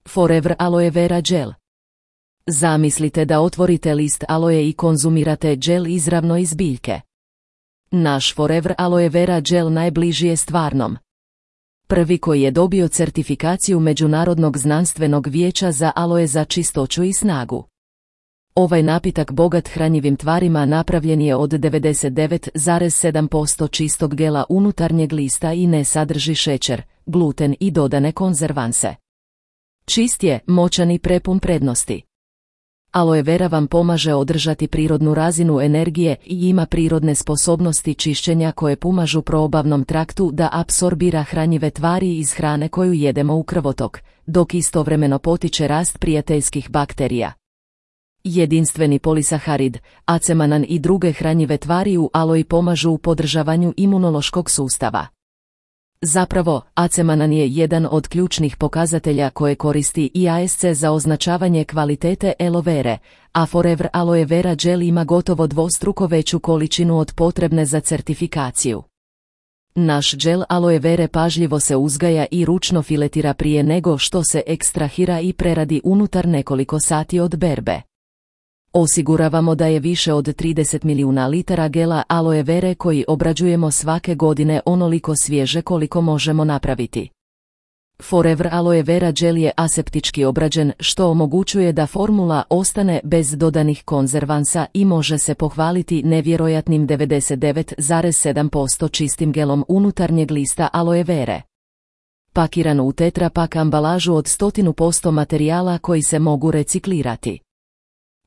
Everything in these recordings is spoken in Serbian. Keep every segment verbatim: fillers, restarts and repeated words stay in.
Forever Aloe Vera Gel. Zamislite da otvorite list aloe i konzumirate gel izravno iz biljke. Naš Forever Aloe Vera Gel najbliži je stvarnom. Prvi koji je dobio certifikaciju Međunarodnog znanstvenog vijeća za aloe za čistoću i snagu. Ovaj napitak bogat hranjivim tvarima napravljen je od devedeset devet zarez sedam posto čistog gela unutarnjeg lista i ne sadrži šećer, gluten i dodane konzervanse. Čist je, moćan i prepun prednosti. Aloe vera vam pomaže održati prirodnu razinu energije i ima prirodne sposobnosti čišćenja koje pomažu probavnom traktu da apsorbira hranjive tvari iz hrane koju jedemo u krvotok, dok istovremeno potiče rast prijateljskih bakterija. Jedinstveni polisaharid, acemanan i druge hranjive tvari u aloji pomažu u podržavanju imunološkog sustava. Zapravo, acemanan je jedan od ključnih pokazatelja koje koristi I A S C za označavanje kvalitete aloe vere, a Forever Aloe Vera Gel ima gotovo dvostruko veću količinu od potrebne za certifikaciju. Naš gel aloe vere pažljivo se uzgaja i ručno filetira prije nego što se ekstrahira i preradi unutar nekoliko sati od berbe. Osiguravamo da je više od trideset milijuna litara gela aloe vere koji obrađujemo svake godine onoliko svježe koliko možemo napraviti. Forever Aloe Vera Gel je aseptički obrađen što omogućuje da formula ostane bez dodanih konzervansa i može se pohvaliti nevjerojatnim devedeset devet zarez sedam posto čistim gelom unutarnjeg lista aloe vere. Pakiran u tetra pak ambalažu od sto posto materijala koji se mogu reciklirati.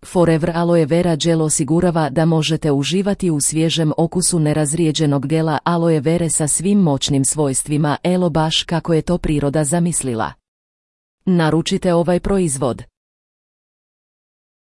Forever Aloe Vera Gel osigurava da možete uživati u svježem okusu nerazrijeđenog gela aloe vere sa svim moćnim svojstvima elo baš kako je to priroda zamislila. Naručite ovaj proizvod.